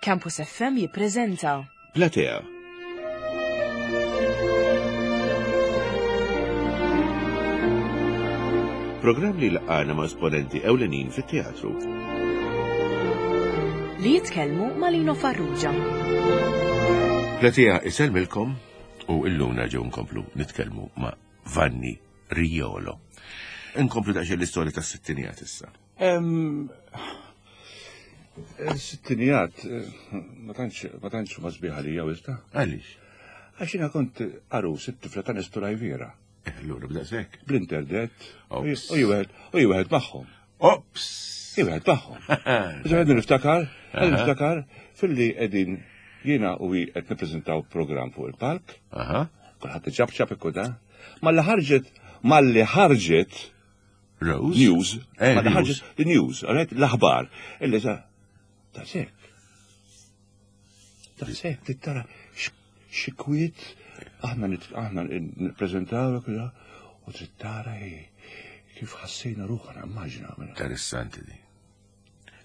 Campus FM jippreżenta. Platea. Programm li laqgħana ma' esponenti ewlenin fit-teatru. Li jitkellmu ma' Lino Farrugia. Platea isellmilkom u illum nerġgħu nkomplu nitkellmu ma' Vanni Riolo. Inkomplu daqsxejn l-istorja tas-sittinijat issa. Sittinijat, ma tantx ma tantx ma sbieħ għalija wista. Għaliex? Għax jiena kont għarus it-tifla ta' Nestor Ajvira. Eh, allura b'daqshekk. Bl-interdet. U jwieħed u jwieħed magħhom. Ops! Jwieħed magħhom. Ġa niftakar, niftakar filli qegħdin jiena u hi qed nippreżentaw programm fuq il-palk. Kulħadd iċapċap ikku da. Malli ħarġet, malli ħarġet Rose. News. Eh, Malli ħarġet the news, alright, l-aħbar. Illi sa ta' sekk. Ta' sekk, tittara xi kwiet aħna aħna nippreżentaw u trid tara kif ħassejna ruħna immaġina. Interessanti di.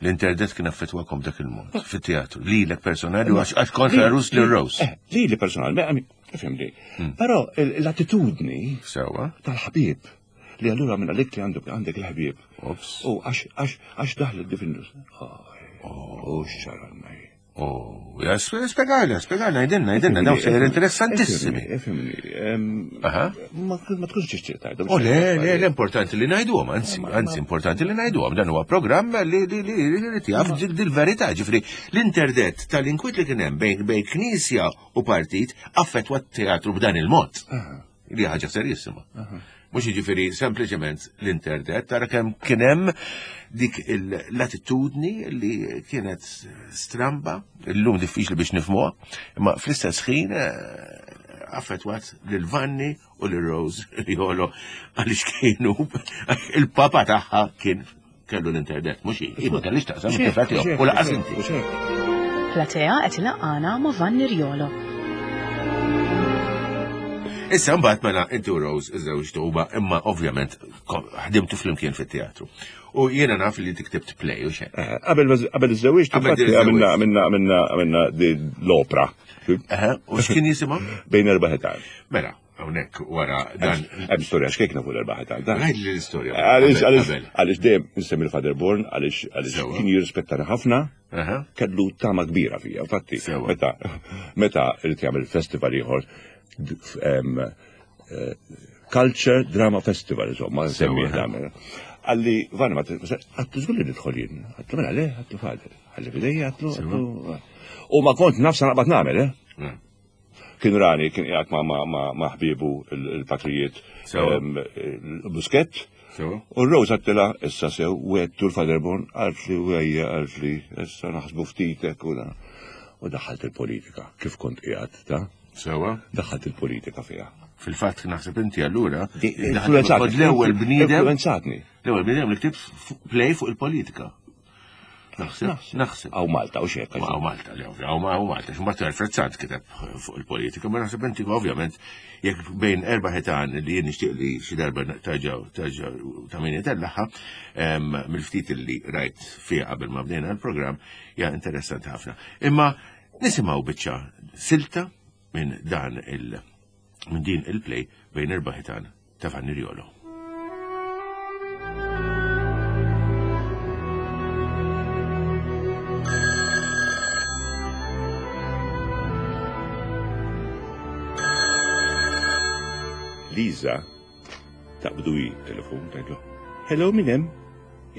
L-interdet kien affettwakom dak il-mod, fit-teatru, lilek personali, għax kontra Rus li Rose. Eh, lili personali, fimni. Hmm. Però l-attitudni Sewa. tal-ħabib li allura minn għalik li għandek għandek il-ħbieb. U għax għax daħlet di fin-nus. Oh, xaranna. Oh, ja, spiegalna, spiegalna, jdenna, jdenna, dawn sejjer interessantissimi. Ifimni, ma tkunx tixtieq tgħidhom. Oh, le, le, le, importanti li ngħiduhom, anzi, anzi, importanti li ngħiduhom, dan huwa programm li li li li jaf dil-verità, ġifri, l-interdet tal-inkwit li kien hemm bejn bejn knisja u partit affettwa t-teatru b'dan il-mod. Li ħaġa serjissima. Mhux jiġifieri sempliċement l-internet, tara kemm kien hemm dik l-attitudni li kienet stramba, illum diffiċli biex nifhmuha, imma fl-istess ħin eh, affettwat lil Vanni u lil Rose Riolo għaliex kienu il-papa tagħha kien kellu l-internet, mhux hi, ma kellix taqsam it-tifla tiegħu u laqas inti. Platea qed ilaqqana ma' Vanni Riolo. Issa mbagħad mela inti u Rose iżewġtu huma imma ovvjament ħdimtu flimkien fit-teatru. U jiena naf li inti ktibt play u xejn. Eh, qabel qabel iżżewġt għamilna għamilna għamilna għamilna l-opra. U x'kien jisimha? Bejn erba' ħitan. Mela, Hawnhekk wara dan. Hemm storja xkejkna fuq l-erba' ħitan. Għid li l-istorja. Għaliex dejjem insemmi l-Father Born għaliex għaliex kien jirrispettana ħafna. Kellu tama kbira fija, infatti. Meta meta irid jagħmel festival ieħor eh, Culture Drama Festival, insomma, semmi Għalli, Vanni, ma għattu żgur li nidħol jien. Għattu mela le, għattu fader. Għalli fidejja, għattu. U ma kont nafsa naqbad nagħmel, eh? Mm. Kien rani, kien qiegħed ma' ħbiebu il-patrijiet Buskett. U r-Rose għattila, issa sew, wettu l-Faderborn, għalt li wejja, għalt li, issa naħsbu ftitek u U daħħalt il-politika, kif kont qiegħed ta' Sewa. Daħħalt il-politika fiha. Fil-fatt naħseb inti allura. Influenzatni. L-ewwel bniedem. Influenzatni. L-ewwel bniedem li ktibt play fuq il-politika. Naħseb, naħseb. Għaw Malta, u xek. Għaw Malta, li għaw għaw Malta. Xumbat Alfred Sant kiteb fuq il-politika, ma naħseb inti ovvjament jekk bejn erba' ħitan li jien nixtieq li xi darba taġaw taġaw ta' min jitellaħħa mill-ftit li rajt fiha qabel ma bdejna l-programm hija interessanti ħafna. Imma nisimgħu biċċa silta minn dan il minn din il-play bejn erba' ħitan ta' Vanni Riolo. Liza taqbdu hi telefon tgħidlu. Hello min hemm?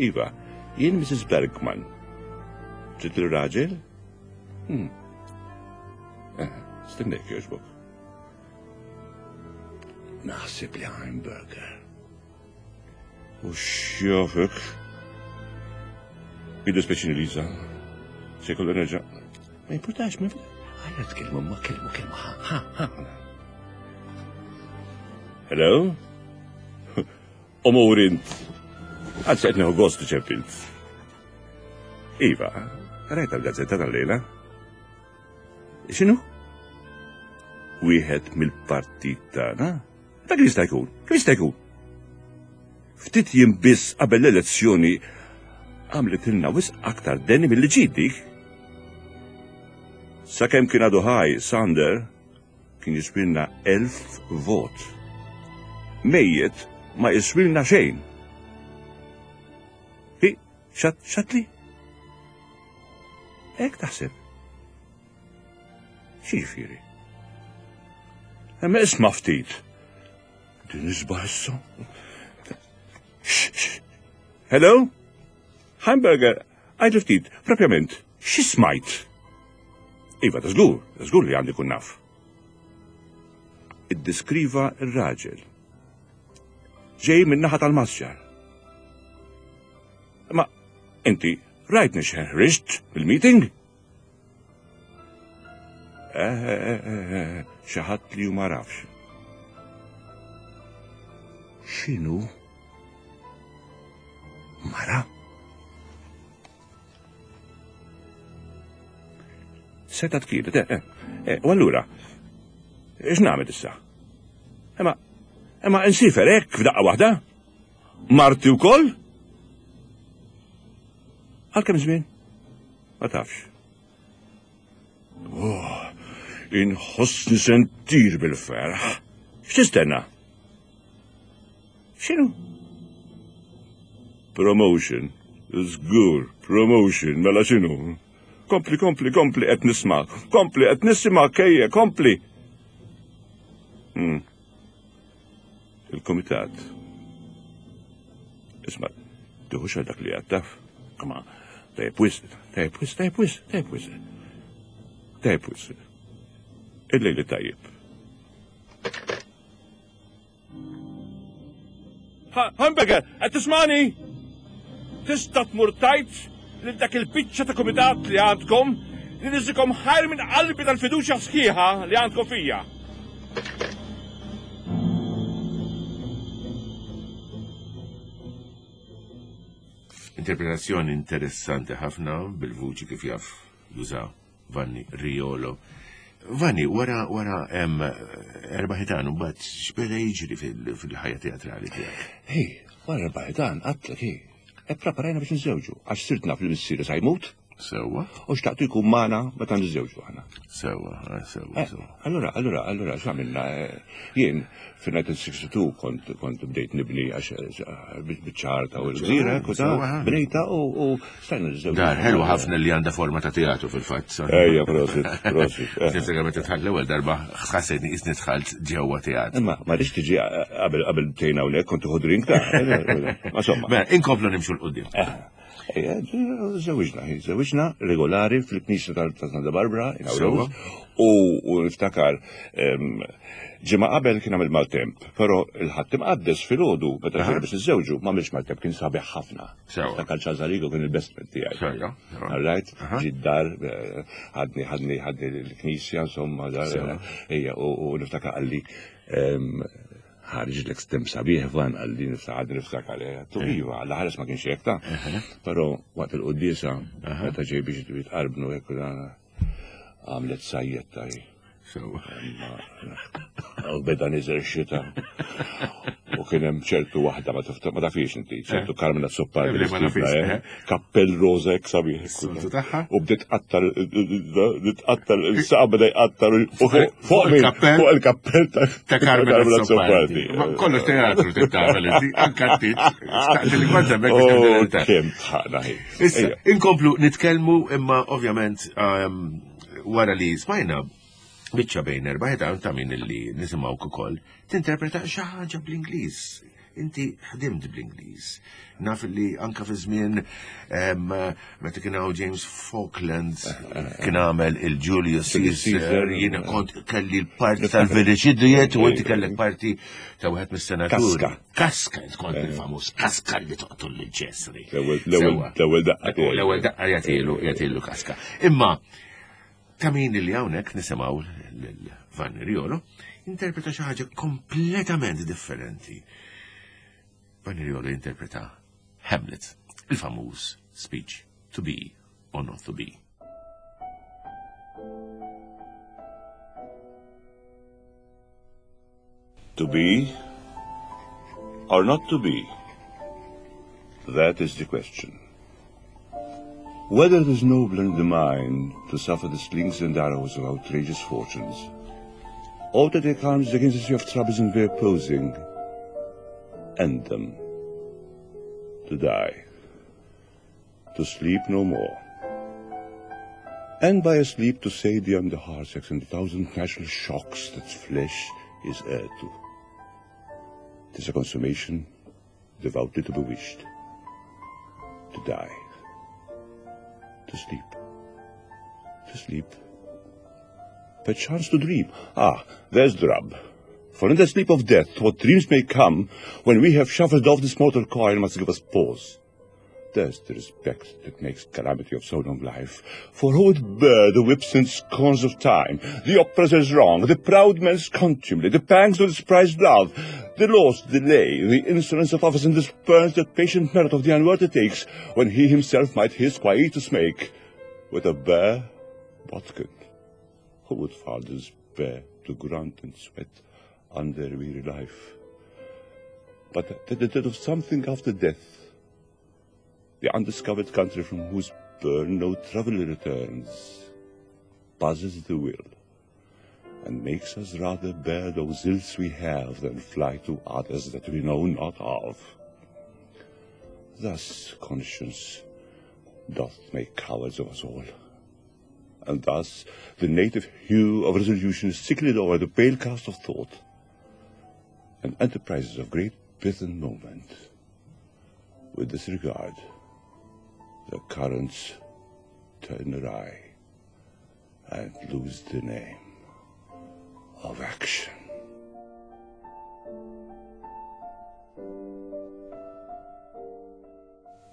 Iva, jien Mrs. Bergman. Trid il-raġel? Hmm. Eh, stennek jogħġbok. Naħseb li Heimburger. U xjofek. Jiddispjaċini Liza. Se jkollu nerġa'. Ma jimpurtax, ma Għajja tkellmu ma kelmu kelma ha ha ha. Hello? Omur int. Għal qed nieħu gost ċempilt. Iva, rajta l-gazzetta tal-lejla? X'inhu? Wieħed mill-partit tagħna? Dak li jista' jkun, kif jista' jkun? Ftit jiem biss qabel l-elezzjoni għamlet ilna wisq aktar deni milli ġid dik. Sakemm kien għadu ħaj, Sander kien jiswilna 1000 vot. Mejjet ma jiswilna xejn. Hi, xat, xatli? Hekk taħseb. X'jiġifieri? Imma isma' ftit. Din isbaħ issa. Hello? Hamburger, għajdu ftit, propjament, xi smajt? Iva, ta' żgur, ta' żgur li għandi kun naf. Iddiskriva r-raġel. Ġej min-naħa tal-masġar. Ma inti rajtni x'ħriġt mill-meeting? Eh, eh, eh, xi ħadd li ma rafx. X'inhu? Mara? Seta tkienet, eh, eh, u allura, x'nagħmel issa? Imma, imma insifer hekk f'daqqa waħda? Marti wkoll? Għal kemm żmien? Ma tafx. Oh, inħossni sentir bil-ferħ. X'tistenna? X'inhu? Promotion. Żgur, promotion, mela x'inhu? Kompli, kompli, kompli qed nisma'. Kompli qed nisma' kejje, kompli. Hmm. Il-komitat. Isma' tiħux għal dak li għattaf. Ma, tajb wisq, tajb wisq, tajb wisq, tajb wisq. Tajb wisq. Il-lejli tajjeb. Hamburger, qed tismani? Tista' tmur tajt lil dak il-biċċa ta' kumitat li għandkom li niżikom ħajr minn qalbi tal-fiduċja sħiħa li għandkom fija. Interpretazzjoni interessanti ħafna bil-vuċi kif jaf juża Vanni Riolo. Vanni, wara wara hemm erba' ħitan u mbagħad x'beda jiġri fil-ħajja teatrali tiegħek? Hej, wara erba' ħitan għadtlek hi. E preparajna biex niżżewġu, għax sirt naf li missieri sa jmut. Sewwa. U xtaqtu jkun magħna meta niżżewġu aħna. Sewwa, eh, sewwa, eh, sewwa. Allura, allura, allura, x'għamilna? Eh, jien fil-1962 kont kont bdejt nibni għax biċ-ċarta u l-gżira, kuta, bnejta u stajna niżżewġu. Dar, ħelwa ħafna li għandha forma ta' teatru fil-fatt. Ejja, prosit, prosit. Niftakar meta dħalt l-ewwel darba ħassejtni qisni dħalt ġewwa teatru. Imma ma rridx tiġi qabel qabel tgħin hawnhekk kont tieħu drink ta' Ma somma. Mela, inkomplu nimxu l-qudiem. Żewġna, żewġna regolari fil-Knisja ta' Santa Barbara, u niftakar ġimgħa qabel kien għamil maltemp, però il-ħadd imqaddes filgħodu meta ġejna biex niżżewġu m'għamilx maltemp kien sabiħ ħafna. Niftakar Charles Arrigo kien il-best man tiegħi. All right, ġi dar ħadni ħadni ħadni l-knisja insomma dar ejja u niftakar qalli Ħariġlek stem sabiħ van għalli niftakar niftakar għalli. Eh. Iva, għalla ħares ma kienx hekk ta' Però waqt il-quddiesa meta ġej biex jitqarbnu hekk għamlet sajjetta hi. U beda niżel xita. U kien hemm ċertu waħda ma ma tafix inti, ċertu eh. Carmen Azzopardi. Eh, eh. Kappell roża hekk sabiħ. U bdiet tqattar tqattar il-saqa beda jqattar fuq il-kappell fuq il-kappell ta' Carmen Azzopardi. Kollox teatru tagħmel inti, anke tit. Staqsi li kont hemmhekk biex oh, Kemm tħaqna hi. Issa, inkomplu nitkellmu imma ovvjament ehm, wara li smajna biċċa bejn erba' ħitan ta' min illi nisimgħuk ukoll tinterpreta xi ħaġa bl-Ingliż. Inti ħdimt bl-Ingliż. Naf li anka fi żmien meta kien hawn James Falkland kien għamel il-Julius Caesar, jiena kont kelli l-parti tal-Village Idiot u inti kellek parti ta' wieħed mis-senaturi. Kaska. Kaska, kont il-famuż Kaska li toqtol lil Ċesri. L-ewwel daqqa. L-ewwel daqqa jagħtilu jagħtilu Kaska. Imma Ta' min li hawnhekk nisimgħu lil Vanni Riolo interpreta xi ħaġa kompletament differenti. Vanni Riolo interpreta Hamlet, il-famuż speech to be or not to be. To be or not to be? That is the question. Whether it is nobler in the mind to suffer the slings and arrows of outrageous fortunes, or to take arms against the sea of troubles and their posing, end them, to die, to sleep no more, and by a sleep to save on the heartaches and the thousand natural shocks that flesh is heir to. Tis a consummation devoutly to be wished, to die, to sleep, to sleep, perchance to dream. Ah, there's the rub. For in the sleep of death, what dreams may come when we have shuffled off this mortal coil must give us pause. There's the respect that makes calamity of so long life. For who would bear the whips and scorns of time, the oppressor's wrong, the proud man's contumely, the pangs of despised love, the lost delay, the insolence of office, and the spurns that patient merit of the unworthy takes, when he himself might his quietus make with a bare bodkin? Who would fathers bear to grunt and sweat under weary life? But that the death of something after death, the undiscovered country from whose burn no traveller returns, buzzes the will, and makes us rather bear those ills we have than fly to others that we know not of. Thus conscience doth make cowards of us all, and thus the native hue of resolution is sicklied o'er the pale cast of thought, and enterprises of great pith and moment. With this regard, the currents turn awry and lose the name of action.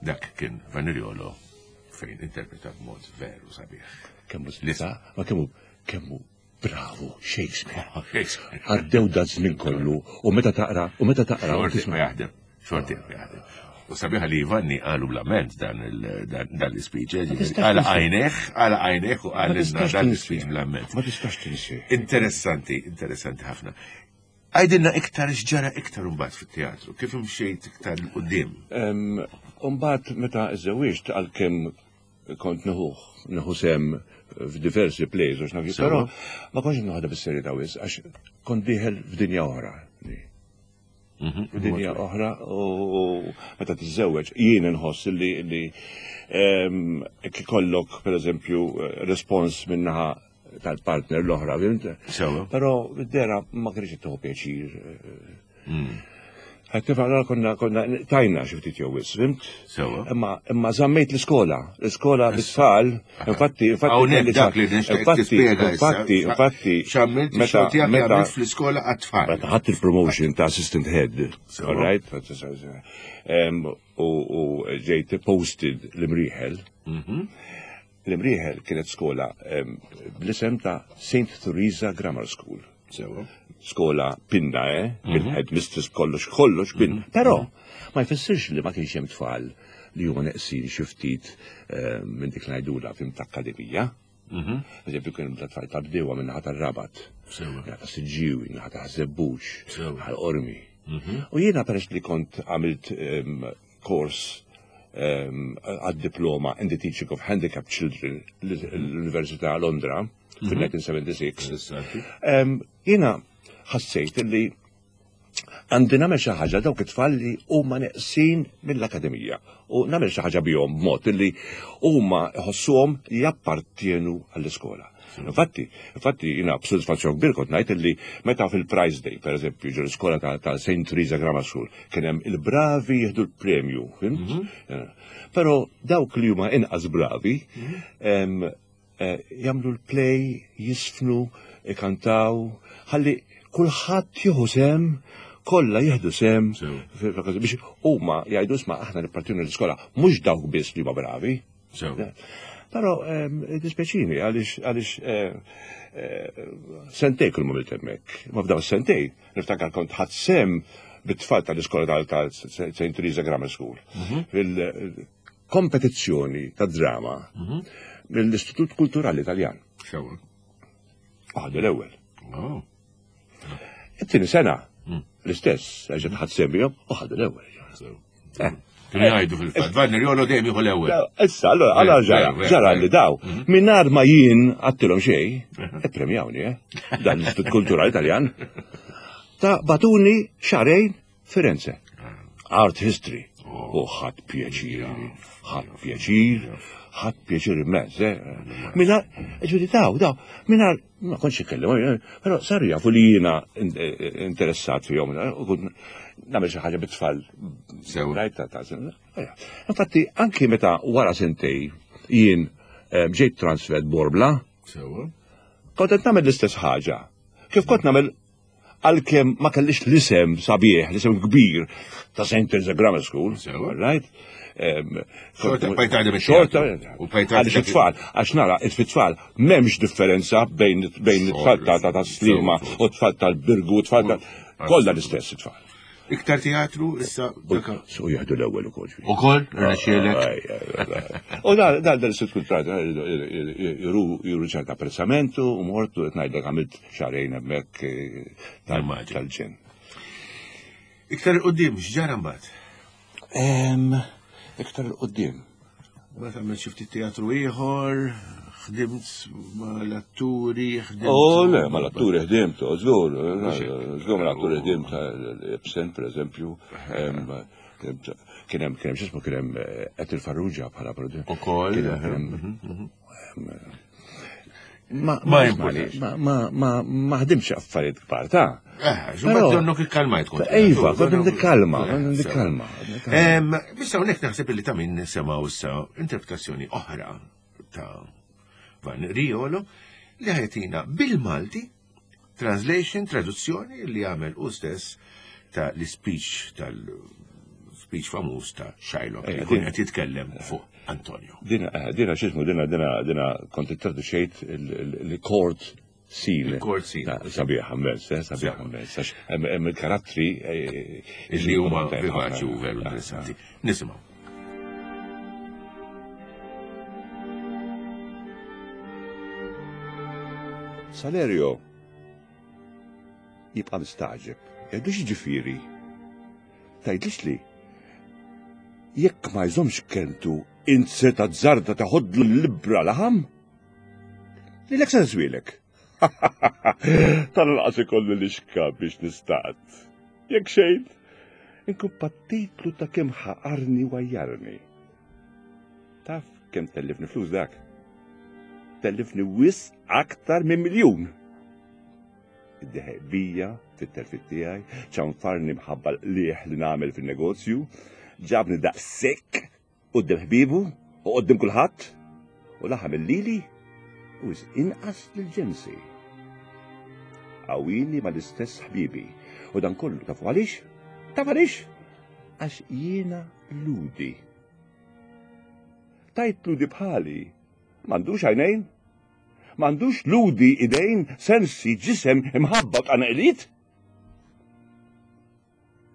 Dak kien Vaniriolo fejn interpreta b'mod veru sabiħ. Kemmu slisa, ma kemmu kemmu bravu Shakespeare. Għaddew da żmien kollu u meta taqra u meta taqra u tisma' jaħdem, xorti jaħdem. U sabiħa li Ivanni qalu blament dan l-speech, eh, għala għajneħ, għala għajneħ u għal dan l-speech blament. Ma tistax tinsi. Interessanti, interessanti ħafna. Għajdilna iktar x'ġara iktar imbagħad fit-teatru, kif imxejt iktar 'l quddiem? Imbagħad meta żżewwiġt għalkemm kont nieħuh, nieħu sehem f'diversi plays u x'naf però ma kontx noħodha bis-serjetà wisq għax kont dieħel f'dinja oħra. Mhm. F'dinja oħra u meta tiżżewweġ jien inħoss li li ikollok pereżempju respons min-naħa tal-partner l-oħra, fimt? Però dera ma kienx tieħu pjaċir. Mm. Qed nifhem konna konna tajna xi ftit jew wisq, fimt? Sewa. Imma imma żammejt l-iskola, l-iskola bit-tfal, infatti infatti Hawnhekk dak li nixtieq tispjega Infatti, infatti x'għamilt meta meta fl-iskola għat-tfal. Meta ħadd il-promotion ta' assistant head, all right? U ġejt posted l-imrieħel. Mhm. L-Imrieħel kienet skola bl-isem ta' St. Theresa Grammar School. Sewa. Skola pinna, eh? Mhm. Bil-head mistress kollox, kollox pinna. Mhm. Però ma jfissirx li ma kienx hemm tfal li huma neqsin xi ftit minn dik ngħidula fim ta' akademija. Mhm. Eżempju kien ta' tfal ta' bdiewa minn naħa tar-Rabat, naħa ta' Siġġiewi, naħa ta' Żebbuġ, ħal Qormi. U jiena peress li kont għamilt kors għad-diploma in the teaching of handicapped children l-Università Londra fil-1976. Jiena ħassejt li għandi nagħmel xi ħaġa dawk it-tfal li huma neqsin mill-akademija u nagħmel xi ħaġa bihom b'mod li huma jħossuhom li jappartjenu għall-iskola. Infatti, infatti jiena b'sodisfazzjon kbir kont ngħid li meta fil-Prize Day, per eżempju, ġo l-iskola ta' St. Teresa Grammar School, kien hemm il-bravi jieħdu l-premju, fimt? Mhm. Eh, però dawk li huma inqas bravi mhm. eh, jagħmlu l-play, jisfnu, ikantaw, ħalli kulħadd jieħu sem kollha jieħdu sem biex huma jgħidu isma' aħna nippartinu l-iskola mhux dawk biss li huma bravi. Però dispjaċini għaliex għaliex eh, eh, sentej kull ma hemmhekk. Ma f'daw sentej niftakar kont ħadd sem bit-tfal tal-iskola tal St. Teresa Grammar School. Mhm. Fil-kompetizzjoni ta' drama mhm. mill-Istitut Kulturali Italjan. Sewa. Ħadu l-ewwel. Oh. It-tieni sena mm. l-istess, għax ħadd sem bihom u ħadu l-ewwel. Eh. Kienu jgħidu fil-fatt, Vanni Riolo dejjem jieħu l-ewwel. Issa, allora, allora ġara, ġara li daw, mhm. mingħajr ma jien għattilhom xejn, mhm. ippremjawni, eh? Dan l-Istitut Kulturali Taljan. Ta' batuni xarejn Firenze. Art history. U ħadd pjaċir, ħadd pjaċir, ħadd pjaċir immens, eh? Minna, ġudi daw, daw, minna, ma kontx ikellem, eh, però saru jafu li jiena eh, interessat fihom, u kont nagħmel xi ħaġa bit-tfal. Sew. Rajt ta' Infatti, anki meta wara sentej jien ġejt transfered Borbla, Sewa. Kont qed nagħmel l-istess ħaġa. Kif kont nagħmel għalkemm ma kellix l-isem sabiħ, l-isem kbir ta' St. Teresa Grammar School, right? Xorta bqajt taħdem Xorta, għaliex it-tfal, għax nara, it-tfal m'hemmx differenza bejn it-tfal ta' Sliema u t-tfal tal-Birgu, t-tfal ta' kollha l-istess it-tfal. Iktar teatru issa. Su jieħdu l-ewwel ukoll. Ukoll, rnexxielek. U dan dan l-istitut kulturali juru ċerta apprezzamentu u mortu qed ngħidlek għamilt xahrejn hemmhekk eh, tal-ġen. Iktar il-qudiem x'ġara mbagħad? Iktar il-qudiem. Mbagħad għamilt xi ftit teatru ieħor, ħdimt mal-atturi, ħdimt. Oh, le, mal-atturi ħdimt, oh, żgur, żgur mal-atturi ħdimt, Ibsen, per eżempju, kien hemm kien hemm x'ismu kien hemm eh, Ethel Farrugia bħala producer. Ukoll. Mhm, mhm. Ma ma ma ma ma ħdimx affarijiet kbar ta'. Eh, ġumma donnok ikkalmajt kont. Iva, kont nikkalma, kont nikkalma. Bissa hawnhekk naħseb li ta' min nisimgħu issa interpretazzjoni oħra ta' Van Riolo li ħajtina bil-Malti Translation, traduzzjoni li għamel u stess ta' l-speech tal-speech famuż ta' Shylock li jkun qed jitkellem fuq Antonio. Dina, eh, dina xismu, dina, dina, dina kont traduċejt il-court scene. Il-court scene. Sabiħ immens, eh, sabiħ immens. Għax hemm il-karattri eh, li huma vivaċi u veru interessanti. Nisimgħu. Salerio jibqa' mistagħġeb. Jgħidlux jiġifieri. Tgħidlix li jekk ma jżommx kelmtu int se tazzarda taħodlu l-libra laħam? Lilek se tiswielek. Tal-anqas ikolli lixka biex nistad. Jekk xejn, inkun pattitlu ta' kemm ħaqarni u għajjarni. Taf kemm tellifni flus dak? Tellifni wisq aktar minn miljun. Iddeħeq bija fit-telfit tiegħi, ċanfarni mħabba l-qliegħ li nagħmel fin-negozju, ġabni daqshekk Quddiem ħbiebu u quddiem kulħadd, u laħam lili u wisq inqas lil ġensi. Qawwili mal-istess ħbiebi, u dan kollu tafu għaliex? Taf għaliex? Għax jiena Lhudi. Tajt Lhudi bħali, m'għandux għajnejn? M'għandux Lhudi idejn, sensi, ġisem, imħabba u tqanqiliet?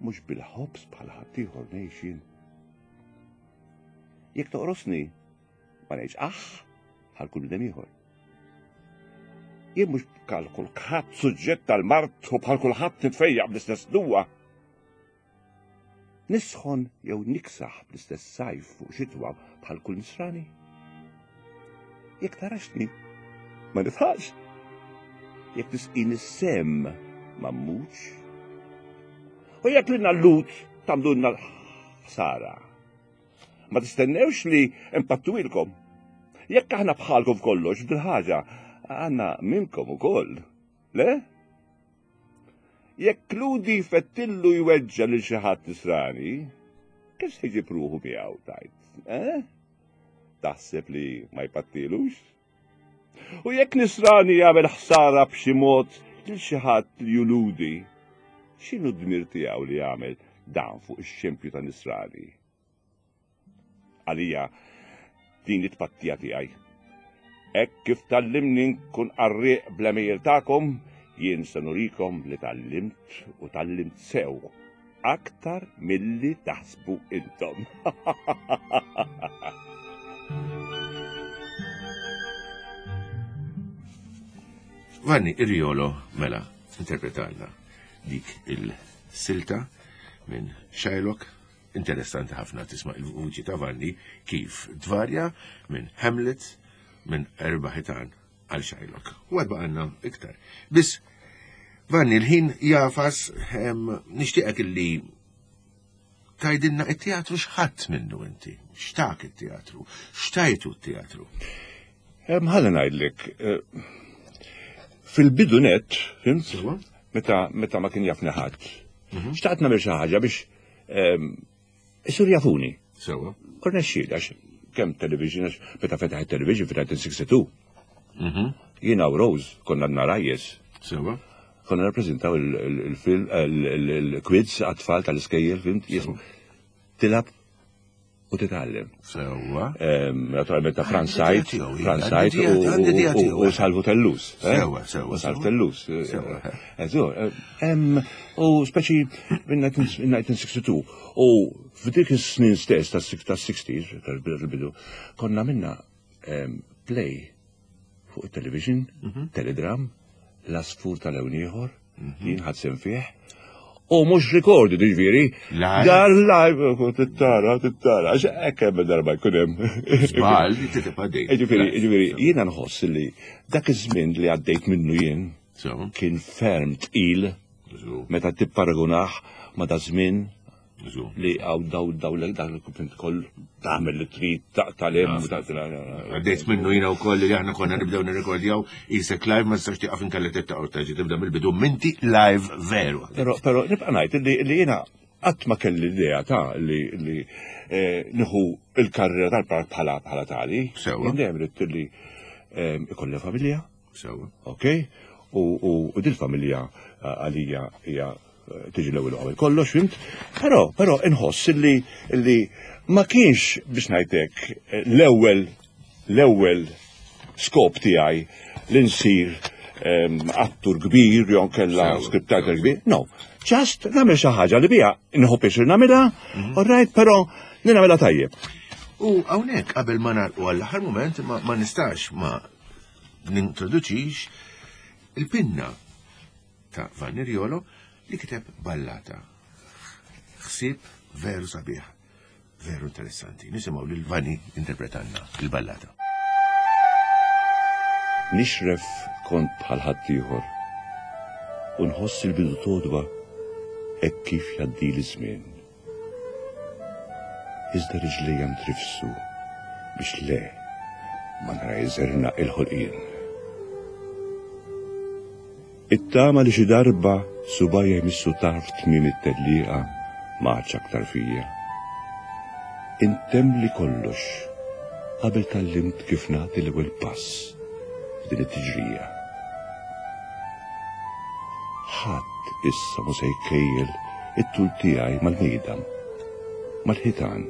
Mhux bil-ħobż bħal ħaddieħor ngħix jien. Jekk toqrosni, ma ngħidx aħ bħal kull bnedem ieħor. Jien mhux bħal kulħadd suġġett tal-mard u bħal kulħadd nitfejjaq bl-istess duwa. Nisħon jew niksaħ bl-istess sajf fuq xitwa bħal kull nisrani. Jekk taraxni, ma nifħax. Jekk tisqini sem, ma mmutx. U jekk lilna l-lut tagħmlulna l-ħsara. Ma tistennewx li impattuilkom. Jekk aħna bħalkom f'kollox f'dil-ħaġa, għandna minnkom ukoll. Le? Jekk Ludi jfettillu jweġġa' lil xi ħadd Nisrani, kif se jġib ruħu miegħu tajt? Eh? Taħseb li ma jpattilux? U jekk Nisrani jagħmel ħsara b'xi mod lil xi ħadd li hu Lhudi, x'inhu d-dmir tiegħu li jagħmel dan fuq ix-xempju ta' Nisrani? Għalija din it-tpattija tiegħi. Hekk kif tgħallimni nkun qarrieq bl-għemejjel tagħkom, jien se nurikom li tgħallimt u tgħallimt sew aktar milli taħsbu intom. Vanni Irjolo mela interpretalna dik il-silta minn Shylock. Interessanti ħafna tisma' il-vuċi ta' Vanni kif tvarja minn Hamlet minn Erba' Ħitan għal Shylock. U għad baqgħalna iktar. Biss Vanni l-ħin jafas nixtieqek illi tgħidilna it-teatru x'ħadd minnu inti, x'tak it-teatru, x'tajtu t-teatru. Ħalli ngħidlek, eh, fil-bidu net, fimt? Meta meta ma kien jafni ħadd. Mhm. Xtaqt nagħmel xi ħaġa biex isir jafuni. Sewa. U rnexxieli għax kemm television għax meta fetaħ it-television fin-1962. Mhm. Jiena u Rose konna għadna rajjes. Sewa. Konna rappreżentaw il-film il-quiz għat-tfal tal-iskejjel, fimt? Jismu. Tilab u titgħallem. Sewwa. Naturalment ta' Franz Said, Franz Said u Salvu Tellus. Eh? Sewwa, sewwa. U Salvu Tellus. Sewwa. Eh, eh, u speċi minn 1962 u f'dik is-snin stess tas-60s, tal-bidu, konna minna play fuq it-television, mhm. teledram, l-asfur tal-ewn ieħor, mhm. jien ħadd sem fih. U mhux rekordi ġifieri. Dar live, tittara, tittara, għax hekk hemm darba jkun hemm. Żball, titibqa' dejjem. Ġifieri, ġifieri, jiena nħoss li dak iż-żmien li għaddejt minnu jien kien ferm tqil meta tipparagunah ma' da żmien Li għaw daw daw l dak il-kumplint koll tagħmel li trid taqta' lem. Għaddejt minnu jiena wkoll li aħna konna nibdew nirrekordjaw isek live ma tistax tieqaf inkella tibta' u terġa' tibda mill-bidu minti live veru. Però però nibqa' ngħid li jiena qatt ma kelli l-idea ta' li li eh, nieħu il-karriera tal-park bħala bħala tali. Sewwa. Jien dejjem ridt li eh, ikolli familja. Sewwa. Ok? U dil-familja eh, għalija hija tiġi l-ewwel qabel kollox, fimt? Però, però inħoss li li ma kienx biex ngħidlek l-ewwel l-ewwel skop tiegħi li nsir ehm, attur kbir jew kella scriptwriter kbir. No, just nagħmel xi ħaġa li biha nħobb pjaċir nagħmilha, mhm. all right, però li nagħmilha tajjeb. U hawnhekk qabel ma nagħlqu għall-aħħar mument ma nistax ma nintroduċix il-pinna ta' Vanni Riolo li kiteb ballata. Ħsieb veru sabiħ, veru interessanti. Nisimgħu lil Vanni interpretanna il-ballata. Nixref kont bħal ħaddieħor u nħoss il-bidu todwa hekk kif jgħaddili żmien. Iżda riġlejja ntrifsu biex le ma nara jżernaq il-ħolqien. It-tama li xi darba subgħajja jmissu tarf tmiem it-tellieqa ma għadx aktar fija. Intemmli kollox qabel tgħallimt kif nagħti l-ewwel pass f'din it-tiġrija. Ħadd issa mhu se jkejjel it-tul tiegħi mal-mejda, mal-ħitan.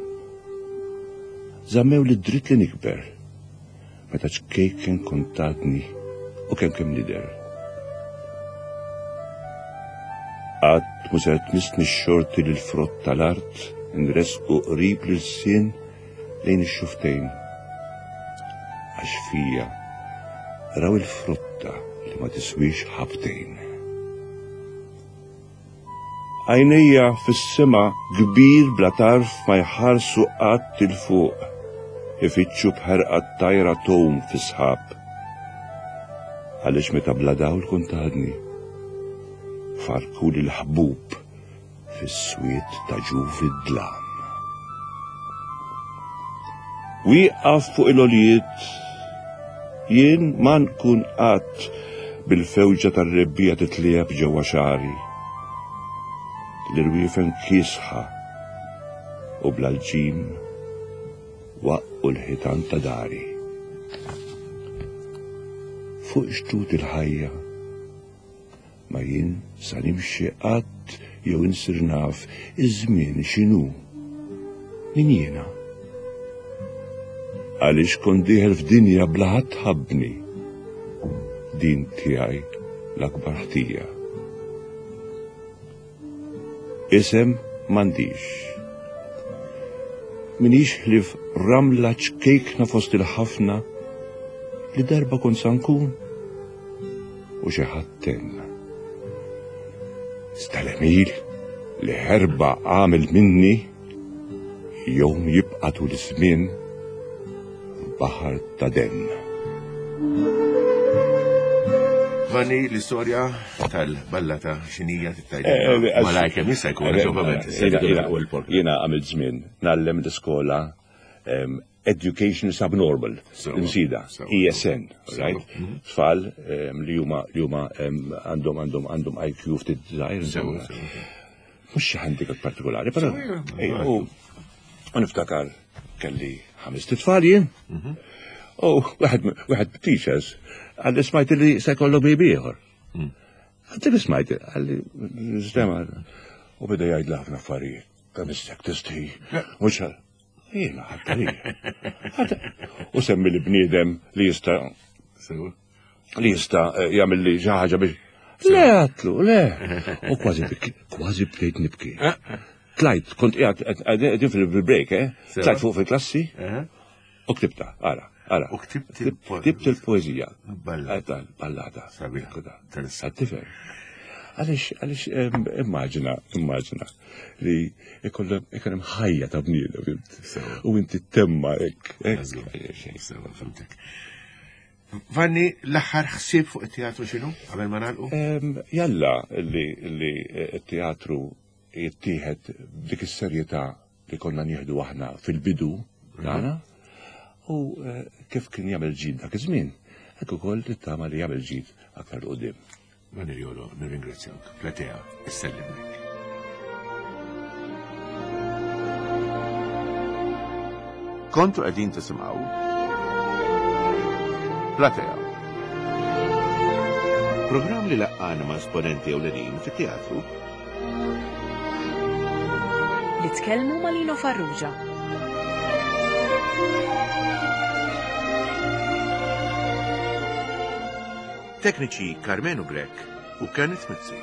Żammewli d-dritt li nikber meta ċkejken kont għadni u kemm kemm nidher. Qatt mhu ser tmissni x-xorti li l-frott tal-art nressqu qrib l-ilsien lejn ix-xufftejn. Għax fija raw il-frotta li ma tiswiex ħabtejn. Għajnejja fis-sema kbir bla tarf ma jħarsu qatt 'il fuq, ifittxu b'ħerqa t-tajra tgħum fis-sħab. Għaliex meta bla dawl kont għadni, farrkuli l-ħbub fis-swied ta' ġuf id-dlam. Wieqaf fuq il-għoljiet, jien ma nkun qatt bil-fewġa tar-rebbiegħa titliegħeb ġewwa xagħri. L-irwiefen kiesħa u bla lġim waqqu l-ħitan ta' dari. Fuq xtut il-ħajja Ma jien sa nimxi qatt jew insir naf iż-żmien x'inhu. Min jiena? Għaliex kont dieħel f'dinja bla ħadd ħabbni. Din tiegħi l-akbar ħtija. Isem m'għandix. Minix ħlief ramla ċkejkna fost il-ħafna li darba kont sa nkun u xi ħadd tenna. Iżda l-għemil li ħerba għamel minni. Jum jibqa' tul iż-żmien baħar ta' demm. Vanni, l-istorja tal-ballata xinija tittajda. Eh, eh, Malaj kemm jista' jkun, eh, ovvjament. Jiena għamilt żmien ngħallem l-iskola Education is Abnormal, l-imsida, ESN, right? Mhm. Tfal li huma li huma għandhom għandhom għandhom IQ ftit żgħir. Mhux xi handicap partikolari, però. U niftakar kelli ħames tfal jien. Mhm. U wieħed teachers għalli smajt li se jkollu baby ieħor. Mm. Għalli smajt, għalli sistema u beda jgħid ħafna affarijiet. Kemm istek tistħi. Mhux Jiena ħadd U semmi li bniedem li jista' li jista' eh, jagħmel li xi ħaġa biex. Le għatlu, le. U kważi kważi bdejt nibki. Tlajt, kont qiegħed qegħdin fil-break, eh? Tlajt fuq fil-klassi u ktibta, ara. Ara. U ktibt il-poezija. Ballata. Ballata. Sabiħ. Tifhem. Għaliex, għaliex immaġina, immaġina li ikollhom ikun hemm ħajja ta' bniedem, U inti temma hekk. Sewa, fimtek. Vanni, l-aħħar ħsieb fuq it-teatru x'inhu qabel ma nagħlqu? Jalla li t-teatru jittieħed b'dik is-serjetà li konna nieħdu aħna fil-bidu tagħna u eh, kif kien jagħmel ġid dak iż-żmien, hekk ukoll tittama li jagħmel ġid aktar qudiem. Vanni Jolo, nirringrazzjak. Platea, issellimlek. Kontu qegħdin tisimgħu Platea. Programm li laqqana ma' esponenti ewlenin fit-teatru Li tkellmu ma' Lino Farrugia. Tekniċi Karmenu Grech u Kenneth Mizzi.